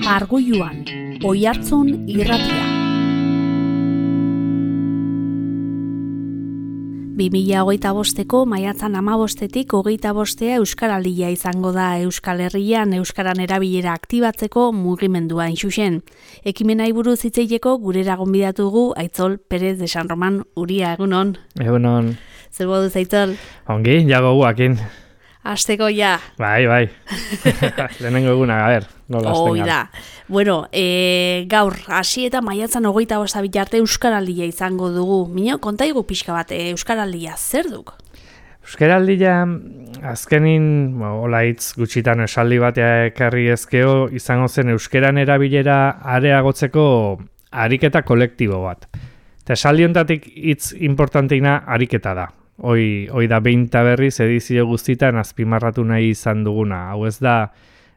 Argoiluan, Oihartzun irratia. 2025ko maiatzan 15-tik 25 Euskaraldia izango da Euskal Herrian euskaran erabilera aktibatzeko mugimendua intxuxen. Ekimenai buruz hitz egiteko gurera gonbidatu dugu Aitzol Perez de San Roman. Uria, egunon. Egunon. Zer moduz, Aitzol? Ongi, jago guakin. Hasteko ja. Bai. Lehenengo eguna, a ver, nola hasten gara. Da. Bueno, gaur, hasi eta maiatzan 25 bitarte Euskaraldia izango dugu. Mino, kontaigu pixka bat, Euskaraldia zer duk? Euskaraldia, azkenin, hola hitz gutxitan esaldi batea ekarri ezkeo, izango zen euskeran erabilera areagotzeko ariketa kolektibo bat. Eta esaldi honetatik hitz importanteina ariketa da. Hoi da 20 berriz edizio guztitan azpimarratu nahi izan duguna. Hau ez da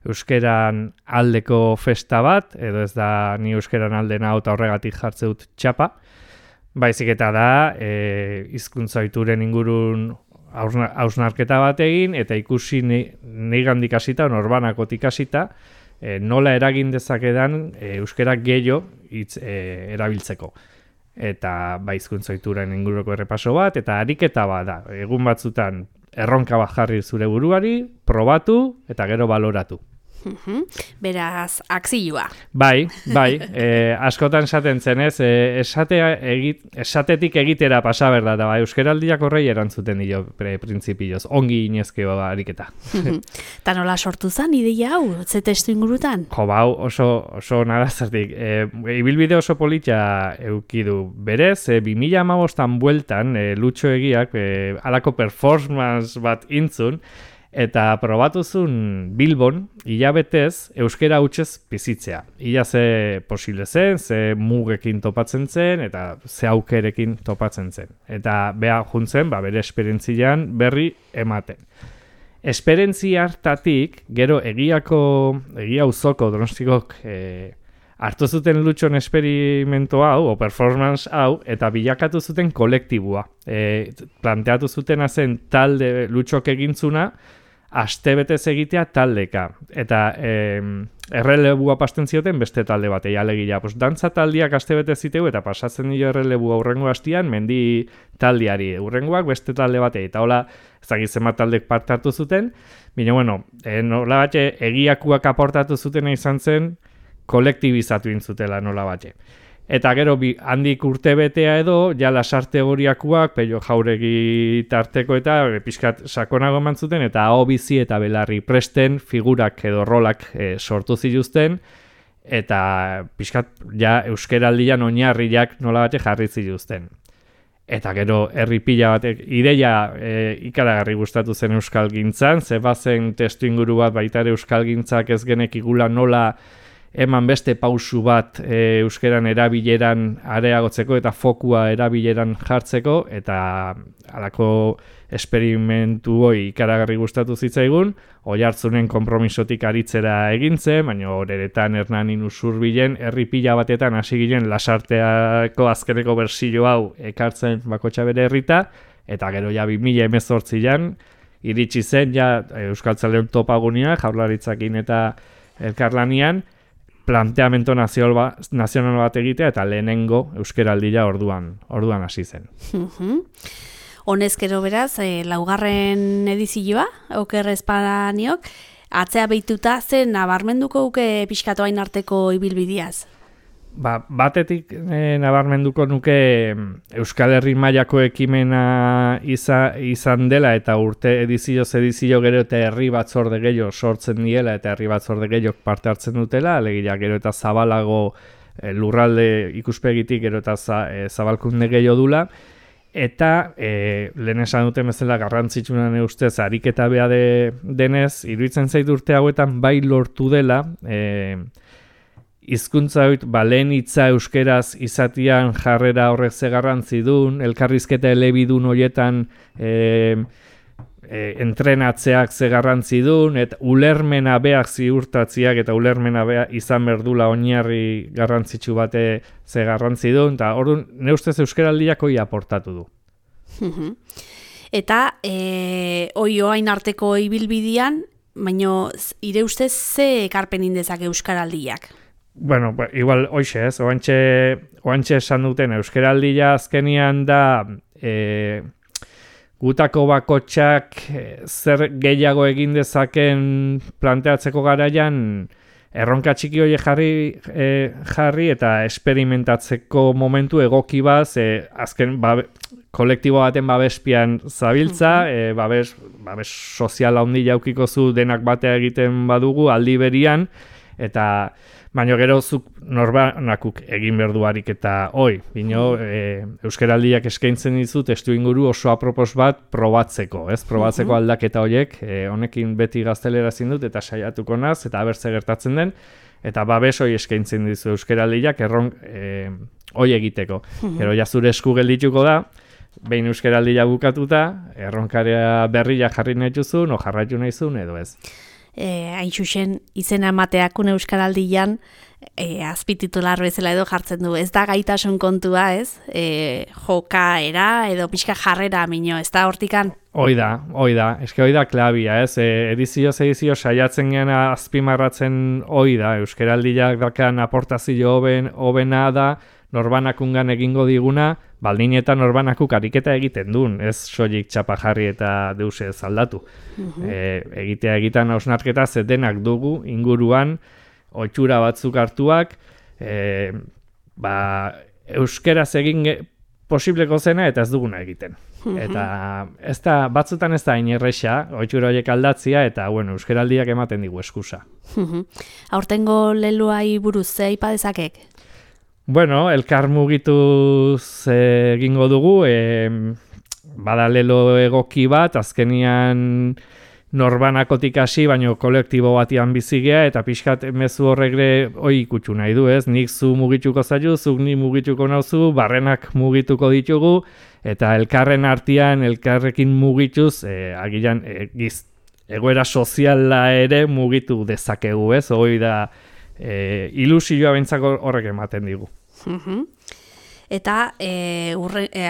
euskeran aldeko festa bat, edo ez da ni euskeran aldena eta horregatik jartze dut txapa. Baizik eta da hizkuntza ohituren ingurun hausnarketa bat egin, eta ikusi neigandik hasita, norbanakotik hasita, nola eragin dezakedan euskerak gehiago erabiltzeko. Eta hizkuntza ohituren inguruko errepaso bat, eta ariketa bat da. Egun batzutan erronka bat jarri zure buruari, probatu eta gero baloratu. Beraz, akzioa. Bai, askotan esaten zen ez, esatetik egitera pasa berda, da euskaraldiak horrei erantzuten dio printzipioz, ongi inezkeo ariketa. Ta nola sortu zen ideia hau, ze testu ingurutan? Jo, bau, oso narazartik. Ibilbide oso polita eukidu berez, 2015an bueltan, Lutxo Egiak, halako performance bat intzun, eta probatuzun Bilbon, hilabetez, euskera hutsez bizitzea. Ia ze posible zen, ze mugekin topatzen zen, eta ze aukerekin topatzen zen. Eta beha juntzen, bere esperientzian berri ematen. Esperientzia hartatik, gero egia auzoko Donostikok hartu zuten Lutxon esperimento hau, o performance hau, eta bilakatu zuten kolektibua. Planteatu zutena zen talde Lutxok egintzuna, astebetez egitea taldeka. Eta errelebua pasten zioten beste talde batei, alegia. Dantza taldiak astebetez ziteu, eta pasatzen dio errelebua urrengo hastian, mendi taldiari. Urrengoak beste talde batei. Eta hola, zenbat taldek parte hartu zuten. Baina, bueno, nola batxe, egiakuak aportatu zuten izan zen, kolektibizatu intzutela nola batxe. Eta gero handik urtebetea edo, ja lasarte horiakuak, Pello Jauregi tarteko eta pixkat sakonago eman zuten, eta aho bizi eta belarri presten figurak edo rolak sortu zituzten, eta pixkat ja euskeraldian oinarriak nola bate jarri zituzten. Eta gero herri pila batek ideia ikaragarri gustatu zen euskalgintzan, ze bazen testu inguru bat baita ere euskalgintzak ez genekigula nola eman beste pausu bat euskeran erabileran areagotzeko eta fokua erabileran jartzeko, eta halako esperimentu hoi ikaragarri gustatu zitzaigun, Oihartzunen konpromisotik aritzera egintzen, baina horeretan Hernanin Usurbilen herri pila batetan hasi ginen Lasarteako azkeneko bersio hau ekartzen bakotxa bere herrita, eta gero ja 2018an iritsi zen ja Euskaltzaleon topagunia Jaurlaritzakin eta elkarlanian, planteamento nazional bat egitea eta lehenengo euskeraldia orduan hasi zen. Honezkero beraz, laugarren edizioa, Oker Espadaniok, atzea behituta zen nabarmenduko uke pixkatoain arteko ibilbideaz? Batetik nabarmenduko nuke Euskal Herri mailako ekimena izan dela, eta urte edizio gero eta herri batzorde gehiago sortzen diela, eta herri batzorde gehiago parte hartzen dutela, alegia gero eta zabalago lurralde ikuspegitik gero eta zabalkunde gehiago dula, eta lehen esan duten bezala garrantzitsunan ustez ariketa beha denez, iruditzen zait urte hauetan bai lortu dela, hizkuntza hori, lehen hitza euskeraz izatian jarrera horrek ze garrantzi duen, elkarrizketa elebidun horietan entrenatzeak ze garrantzi duen, eta ulermena beak ziurtatziak eta ulermena beak izan berdula oinarri garrantzitsu bate ze garrantzi duen, eta orduan ne ustez euskeraldiak hori aportatu du. Eta oin arteko ibilbidean, baina ire ustez ze ekarpen indezak Euskaraldiak? Bueno, igual hoxe ez, oantxe esan duten Euskaraldia azkenian da gutako bakotxak zer gehiago egin dezaken planteatzeko garaian erronka txiki horiek jarri eta experimentatzeko momentu egoki baz, azken kolektibo baten babespian zabiltza, babes sozial handi jaukiko zu denak batea egiten badugu aldi berian, eta baina gero zuk norbanakuk egin berduarik eta bino Euskaraldiak eskaintzen dizu testu inguru oso apropos bat probatzeko, ez? Probatzeko aldaketa horiek, honekin beti gaztelera ezin dut eta saiatuko naz, eta abertze gertatzen den, eta babes hori eskaintzen dizu Euskaraldiak hori egiteko. Gero ja zure esku geldituko da, behin Euskaraldia bukatuta, erronkarea berria jarri nahi duzun, o jarraitu nahi zuen edo ez. Hain xuxen izena emateakun Euskaraldian azpititular bezala edo jartzen du. Ez da gaitasun kontua, ez? Jokaera edo pixka jarrera minio, ez da hortikan? Hoi da. Eske hoi da klabia, ez? Edizio saiatzen gana azpimarratzen hoi da. Euskaraldiak dakan aportazio hobena da, norbanakungan egingo diguna, baldin eta norbanakuk ariketa egiten duen, ez soilik txapa jarri eta deuse ez aldatu. Egitea egitan hausnarketa zetenak dugu inguruan, oitxura batzuk hartuak, euskeraz egin posibleko zena eta ez duguna egiten. Eta batzutan ez da hain erresa, oitxura horiek aldatzia, eta euskaraldiak ematen digu eskusa. Aurtengo leloai buruz ze aipa dezakek? Elkar mugituz egingo dugu, bada lelo egoki bat, azkenian norbanakotik hasi, baino kolektibo batian bizigea, eta pixkat mezu horregre hoi ikutsu nahi du, ez? Nik zu mugituko zaitu, zuk ni mugituko nauzu, barrenak mugituko ditugu, eta elkarren artean, elkarrekin mugituz, agian egoera soziala ere mugitu dezakegu, ez? Hoi da ilusioa bentsako horrek ematen digu. Eta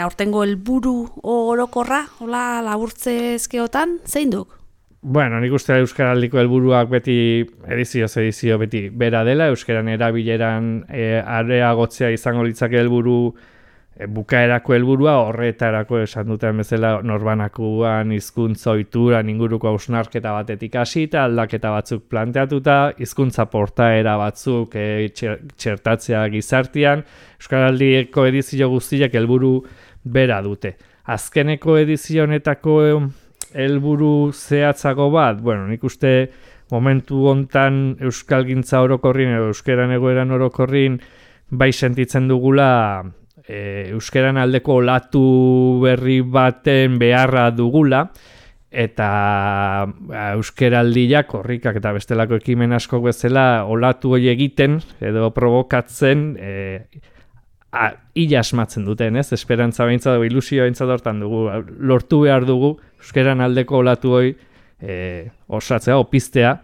aurtengo helburu orokorra, hola laburtze ezkeotan, zein duk? Nik uste Euskaraldiko helburuak beti edizio beti bera dela, Euskaran erabileran areagotzea izango litzake helburu bukaerako helburua, horretarako esan duten bezala norbanakuan hizkuntza ohituran inguruko hausnarketa batetik hasita, aldaketa batzuk planteatuta, hizkuntza portaera batzuk txertatzea gizartean, Euskaraldiko edizio guztiak helburu bera dute. Azkeneko edizio honetako helburu zehatzago bat, nik uste momentu hontan euskalgintza orokorrin edo euskeran egoeran orokorrin bai sentitzen dugula euskeran aldeko olatu berri baten beharra dugula, eta euskeraldiak, korrikak eta bestelako ekimen asko bezala olatu hori egiten edo provokatzen ila asmatzen duten, ez? Esperantza behintzat, ilusioa behintzat hortan dugu, lortu behar dugu euskeran aldeko olatu hori osatzea, opiztea,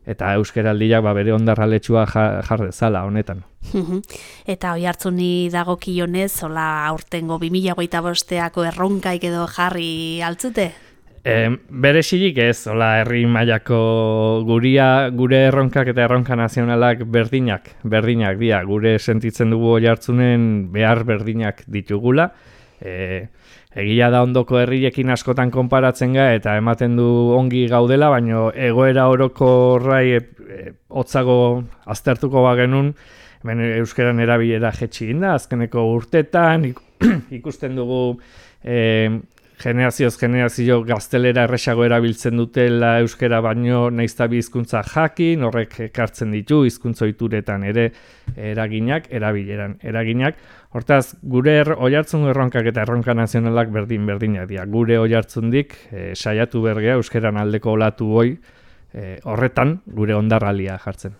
eta euskaraldiak bere ondarraletsua jar dezala honetan. Eta oi hartzuni dagokionez, hola aurtengo 2025ako erronkaik edo jarri altzute? Bere xilik ez, hola herri mailako gure erronkak eta erronka nazionalak berdinak dira, gure sentitzen dugu oi hartzunen behar berdinak ditugula. Egia da ondoko herriekin askotan konparatzen eta ematen du ongi gaudela, baina egoera orokorrai hotzago aztertuko bagenun, hemen euskeran erabilera jetxi da, azkeneko urtetan ikusten dugu generazioz generazio gaztelera erresago erabiltzen dutela euskera baino naizta bi hizkuntza jakin, horrek ekartzen ditu hizkuntza ohituretan ere erabileran eraginak. Hortaz, gure oihartzun erronkak eta erronka nazionalak berdinak dira. Gure oihartzundik saiatu bergea euskeran aldeko olatu hoi horretan gure ondarralia jartzen.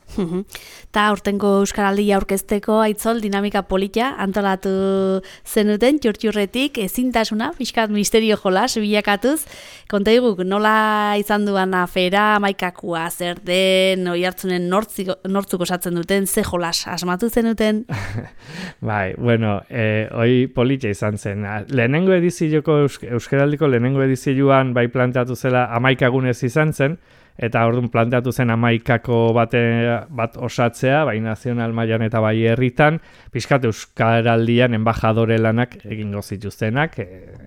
Ta aurtengo euskaraldia aurkezteko Aitzol dinamika polita antolatu zenuten txurtxurretik ezintasuna, pixkat misterio jolas bilakatuz. Konta diguk, nola izan duan afera, maikakua, zer den, oihartzunen nortzuk osatzen duten, ze jolas asmatu zenuten? Hoi polita izan zen. Lehenengo edizioko euskaraldiko lehenengo edizioan bai planteatu zela 11 egunez izan zen, eta orduan planteatu zen 11ko bat osatzea, bai nazional mailan eta bai herritan, pixkat euskaraldian enbajadore lanak egingo zituztenak,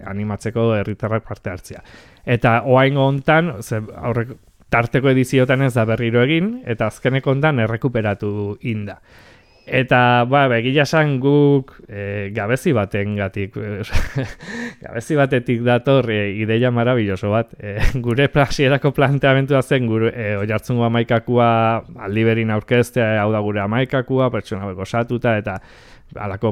animatzeko herritarrak parte hartzea. Eta oraingo hontan, aurreko tarteko ediziotan ez da berriro egin, eta azkeneko hontan errekuperatu inda. Eta, egia esan guk gabezi batengatik, gabezi batetik dator ideia marabilloso bat. Gure hasierako planteamentua zen, Oiartzungo 11koa aldi berin aurkeztea, hau da gure 11koa, pertsona hauek osatuta, eta halako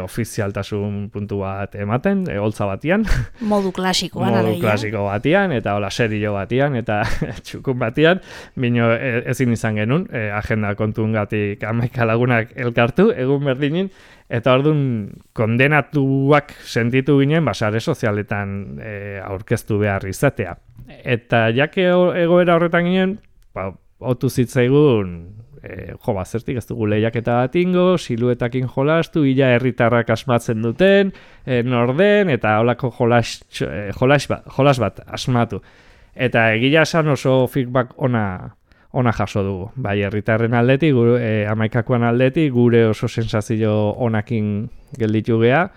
ofizialtasun puntu bat ematen, holtza batian. Modu klasikoan. Modu klasiko batian, eta hola serio batian, eta txukun batian, bino ezin izan genuen, agenda kontuengatik 11 lagunak elkartu, egun berdinin, eta orduan kondenatuak sentitu ginen, sare sozialetan aurkeztu behar izatea. Eta jake egoera horretan ginen, otu zitzaigun, zertik ez dugu lehiaketa bat ingo, siluetakin jolastu, ila herritarrak asmatzen duten, norden, eta holako jolas bat asmatu. Eta egia esan oso feedback ona jaso dugu. Bai, herritarren aldetik, 11koan aldetik, gure oso sensazio onakin gelditu gea.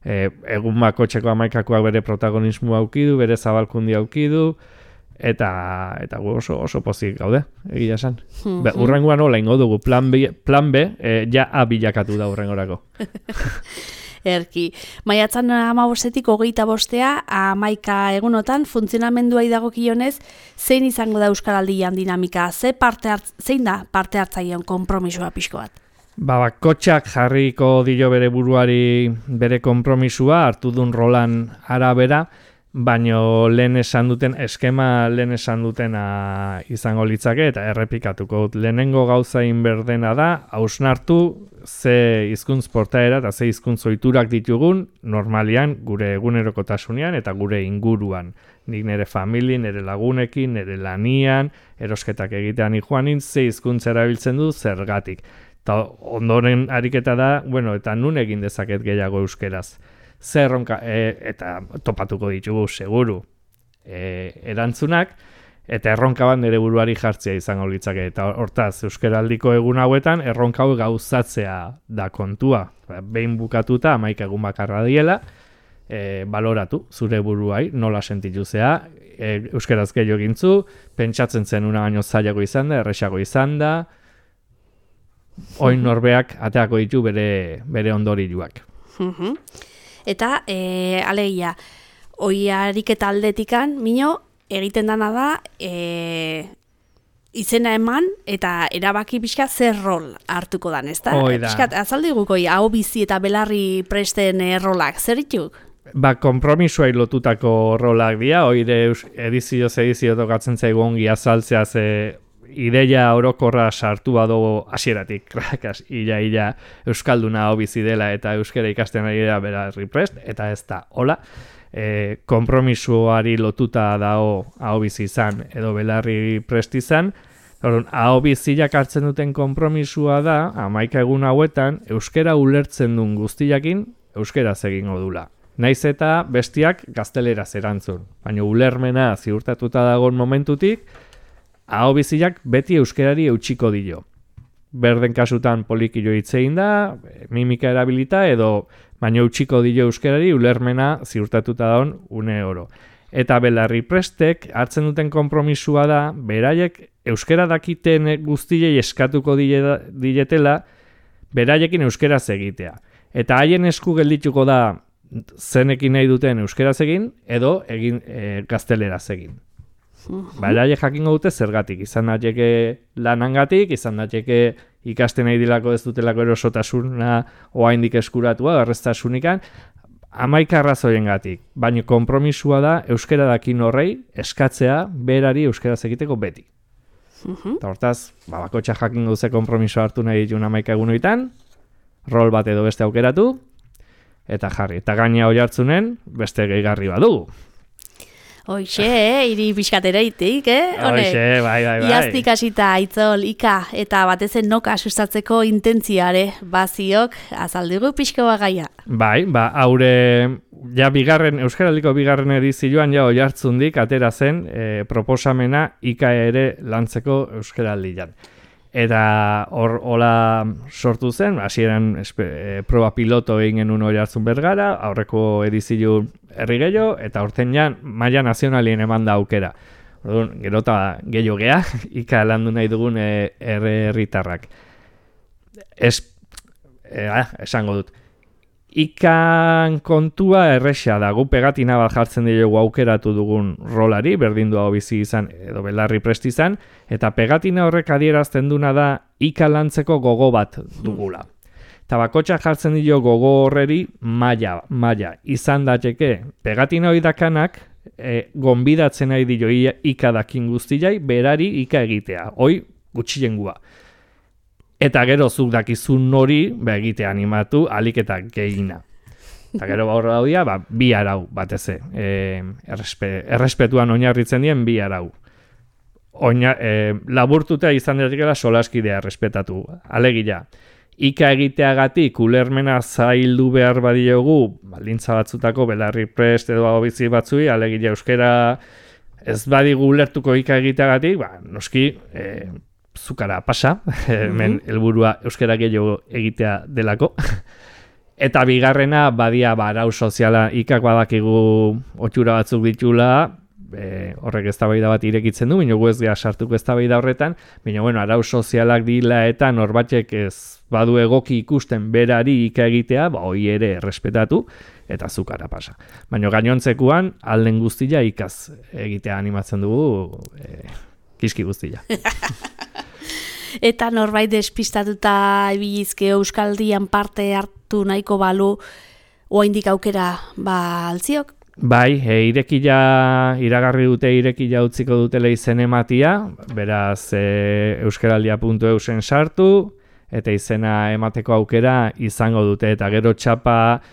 Egun bakotxeko 11koak bere protagonismoa aukidu, bere zabalkundi aukidu, eta gu oso pozik gaude, egia esan. Urrengoan hola ingo dugu, plan B, ja A bilakatu da urrengorako. Erki, maiatzan 15-etik 25 11 egunotan funtzionamenduai dagokionez, zein izango da Euskaraldian dinamika, zein da parte hartzaileon konpromisoa pixko bat? Bakotxak jarriko dio bere buruari bere konpromisua, hartu duen rolan arabera, baino lehen esan dutena izango litzake eta errepikatuko dut. Lehenengo gauza inberdena da, hausnartu ze hizkuntz portaera eta ze hizkuntz ohiturak ditugun normalian gure egunerokotasunean eta gure inguruan. Nik nire famili, nire lagunekin, nire lanian, erosketak egitean joanin, ze hizkuntza erabiltzen du zergatik. Eta ondoren ariketa da, eta nun egin dezaket gehiago euskeraz. Zerronka, eta topatuko ditugu, seguru, erantzunak, eta erronka bat nire buruari jartzea izango litzake. Eta hortaz, Euskaraldiko egun hauetan, erronka hau gauzatzea da kontua. Behin bukatuta, 11 egun bakarra diela, baloratu zure buruai, nola sentitu zea, euskaraz gehiago egintzu, pentsatzen zen una baino zailago izan da, erresago izan da, oin norbeak ateako ditu bere ondorioak. Eta, alegia, oiariketa aldetikan, mino, egiten dana da, izena eman eta erabaki pixka zer rol hartuko dan, ezta? Pixkat, azaldiguko, hau bizi eta belarri presten rolak, zer dituk? Konpromisoai lotutako rolak dira, oire edizio tokatzen zaigu ongi azaltzea ze ideia orokorra sartu bado hasieratik, ila euskalduna hau bizi dela eta euskara ikasten ari dela belarri prest, eta ez da, hola, konpromisoari lotuta dago hau bizi izan edo belarri prest izan. Hau biziak hartzen duten konpromisua da, 11 egun hauetan, euskara ulertzen duen guztiakin euskaraz egingo dula. Naiz eta bestiak gazteleraz erantzun, baina ulermena ziurtatuta dagoen momentutik, hau biziak beti euskarari eutxiko dio. Berden kasutan polikilo hitzein da, mimika erabilita edo baina eutxiko dio euskarari ulermena ziurtatuta dagoen une oro. Eta belarri prestek hartzen duten konpromisua da, beraiek euskara dakiten guztiei eskatuko dietela, beraiekin euskaraz egitea. Eta haien esku geldituko da zenekin nahi duten euskaraz egin, edo gazteleraz egin. Beraiek jakingo dute zergatik, izan daiteke lanangatik, izan daiteke ikasten nahi dilako ez dutelako erosotasuna oraindik eskuratua, garreztasunikan, 11 arrazoiengatik, baina konpromisua da euskara dakin horrei eskatzea berari euskaraz egiteko beti. Eta hortaz, bakotxa jakingo duze konpromiso hartu nahi ditun 11 egunoitan, rol bat edo beste aukeratu, eta jarri. Eta gaina hori hartzunen, beste gehigarri badugu. Hoxe, hiri pixkatereitik, Hoxe, bai. Iaztik hasita Aitzol, Ika, eta batezen noka sustatzeko intentziare, baziok, azaldigu pixko bagaia. Bai, haure, ja Euskaraldiko bigarren edizioan ja oihartzundik atera zen proposamena Ika ere lantzeko Euskaraldian. Eta hola sortu zen, hasieran proba piloto egin genuen oihartzun Bergara, aurreko edizio herri gehiago, eta aurten ja maila nazionalien eman da aukera. Orduan, gero eta gehiago gea, Ika landu nahi dugun herritarrak. Esango dut. Ikan kontua erresa da, gu pegatina bat jartzen diogu aukeratu dugun rolari, berdin du hau bizi izan edo belarri prest izan, eta pegatina horrek adierazten duna da Ika lantzeko gogo bat dugula. Eta bakotxa jartzen dio gogo horreri maila. Izan dateke, pegatina hori dakanak, gonbidatzen nahi dio Ika dakin guztiai, berari Ika egitea, hoi gutxilengua. Eta gero zuk dakizun hori egitea animatu alik eta gehina. Eta gero horra daudia, bi arau bateze. Errespetuan oinarritzen dien bi arau. Laburtuta izan datekela solaskidea errespetatu. Alegia, Ika egiteagatik ulermena zaildu behar badiogu, baldintza batzutako belarri prest edo bizi batzui, alegia euskera ez badigu ulertuko Ika egiteagatik, noski zukara pasa, hemen helburua euskara gehiago egitea delako. Eta bigarrena badia arau soziala, Ikak badakigu otxura batzuk ditula, horrek eztabaida bat irekitzen du, baina gu ez gea sartuko eztabaida horretan, baina arau sozialak dila eta norbatek ez badu egoki ikusten berari Ika egitea, hoi ere errespetatu, eta zukara pasa. Baina gainontzekuan, alden guztia Ikaz egitea animatzen dugu, kiski guztia. Eta norbait despistatuta ibilizke Euskaldian parte hartu nahiko balu, oraindik aukera altziok? Bai, iragarri dute irekila utziko dutela izen ematia, beraz euskaraldia.eusen sartu, eta izena emateko aukera izango dute, eta gero txapa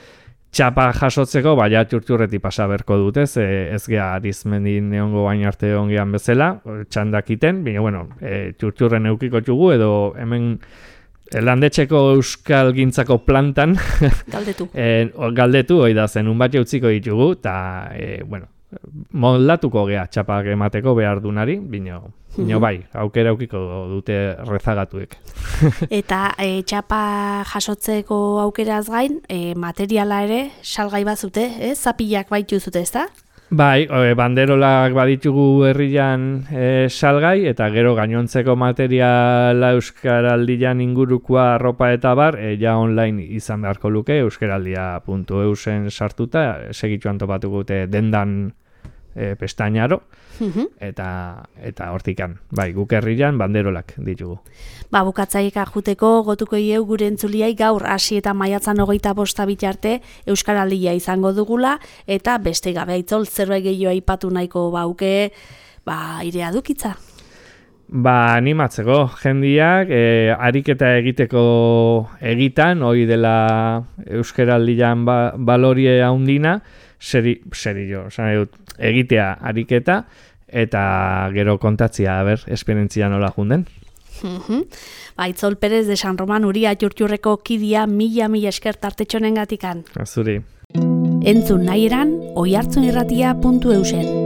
jasotzeko, baina txurtxurreti pasa berko dute, ez gea arizmendin neongo bain arte ongean bezala, txandakiten, baina, txurtxurren eukiko txugu, edo hemen landetxeko euskal gintzako plantan galdetu, hoi da zen, unbat jautziko ditugu, eta, moldatuko gea txapak emateko behar dunari, bino bai, aukera eukiko dute rezagatuek. Eta txapa jasotzeko aukeraz gain, materiala ere salgai bazute, zapilak baitu zute, ez da? Bai, banderolak baditugu herrian salgai, eta gero gainontzeko materiala euskaraldian ingurukoa arropa eta bar, ja online izan beharko luke, euskaraldia.eusen sartuta, segitxuan topatuko dute dendan pestainaro, eta hortikan, bai, guk herrian banderolak ditugu. Bukatzaika juteko gotuko ieu gure entzuliai gaur hasi eta maiatzan 25 bitarte Euskaraldia izango dugula, eta beste gabe Aitzol zerbait gehiago aipatu nahiko bauke, irea dukitza. Animatzeko jendiak, ariketa egiteko egitan, hoi dela Euskaraldian balorie handina, egitea ariketa, eta gero kontatzia, esperientzia nola junden. Aitzol Perez de San Roman Uria Txurtxurreko kidia mila esker tartetxonen gatikan. Azuri. Entzun nahi eran, oihartzunirratia.eusen.